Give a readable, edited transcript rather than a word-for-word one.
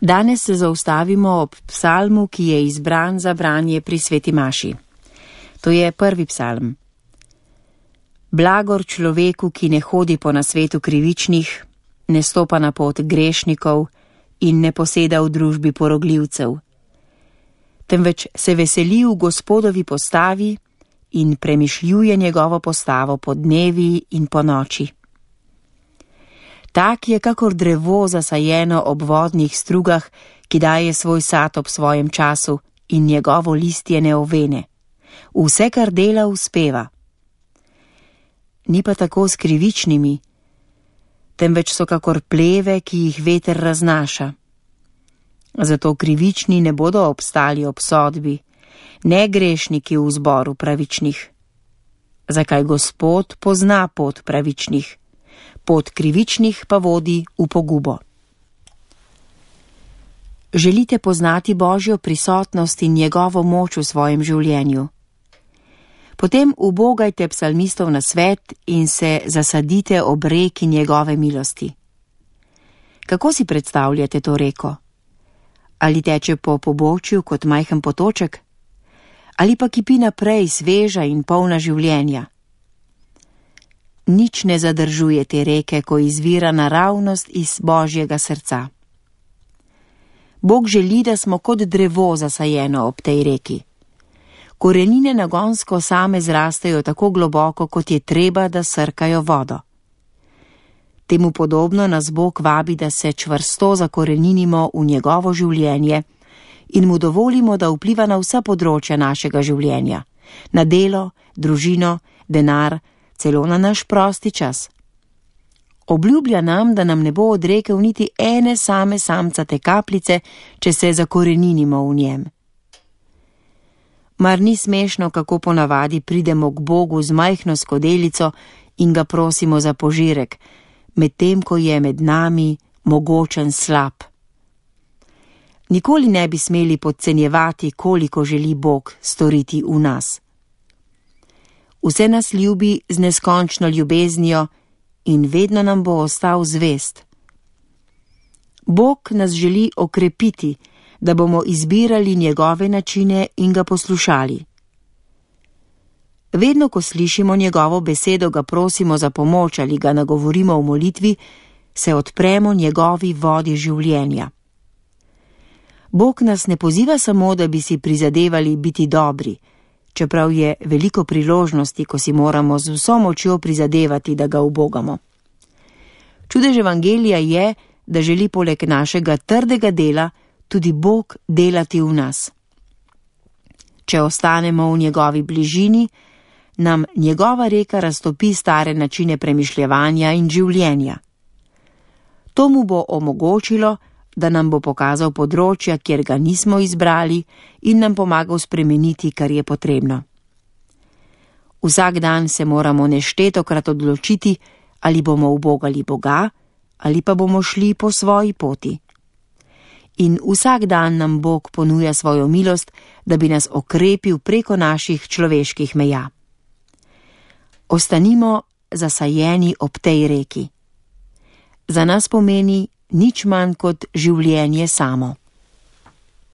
Danes se zaustavimo ob psalmu, ki je izbran za branje pri sveti maši. To je 1. psalm. Blagor človeku, ki ne hodi po nasvetu krivičnih, ne stopa na pot grešnikov in ne poseda v družbi porogljivcev, temveč se veseli v Gospodovi postavi in premišljuje njegovo postavo po dnevi in po noči. Tak je kakor drevo zasajeno ob vodnih strugah, ki daje svoj sad ob svojem času in njegovo listje ne ovene. Vse, kar dela, uspeva. Ni pa tako s krivičnimi, temveč so kakor pleve, ki jih veter raznaša. Zato krivični ne bodo obstali ob sodbi, ne grešniki v zboru pravičnih. Zakaj Gospod pozna pot pravičnih, pot krivičnih pa vodi v pogubo. Želite poznati Božjo prisotnost in njegovo moč v svojem življenju? Potem ubogajte psalmistov nasvet in se zasadite ob reki njegove milosti. Kako si predstavljate to reko? Ali teče po pobočju kot majhen potoček? Ali pa kipi naprej sveža in polna življenja? Nič ne zadržuje te reke, ko izvira naravnost iz Božjega srca. Bog želi, da smo kot drevo zasajeno ob tej reki. Korenine nagonsko same zrastejo tako globoko, kot je treba, da srkajo vodo. Temu podobno nas Bog vabi, da se čvrsto zakoreninimo v njegovo življenje in mu dovolimo, da vpliva na vsa področja našega življenja, na delo, družino, denar, celo na naš prosti čas. Obljublja nam, da nam ne bo odrekel niti ene same samcate kapljice, če se zakoreninimo v njem. Mar ni smešno, kako ponavadi pridemo k Bogu z majhno skodelico in ga prosimo za požirek, medtem ko je med nami mogočen slab. Nikoli ne bi smeli podcenjevati, koliko želi Bog storiti v nas. Vse nas ljubi z neskončno ljubeznijo in vedno nam bo ostal zvest. Bog nas želi okrepiti, da bomo izbirali njegove načine in ga poslušali. Vedno, ko slišimo njegovo besedo, ga prosimo za pomoč ali ga nagovorimo v molitvi, se odpremo njegovi vodi življenja. Bog nas ne poziva samo, da bi si prizadevali biti dobri, čeprav je veliko priložnosti, ko si moramo z vso močjo prizadevati, da ga ubogamo. Čudež evangelija je, da želi poleg našega trdega dela tudi Bog delati v nas. Če ostanemo v njegovi bližini, nam njegova reka raztopi stare načine premišljevanja in življenja. To mu bo omogočilo, da nam bo pokazal področja, kjer ga nismo izbrali in nam pomagal spremeniti, kar je potrebno. Vsak dan se moramo neštetokrat odločiti, ali bomo ubogali Boga, ali pa bomo šli po svoji poti. In vsak dan nam Bog ponuja svojo milost, da bi nas okrepil preko naših človeških meja. Ostanimo zasajeni ob tej reki. Za nas pomeni nič manj kot življenje samo.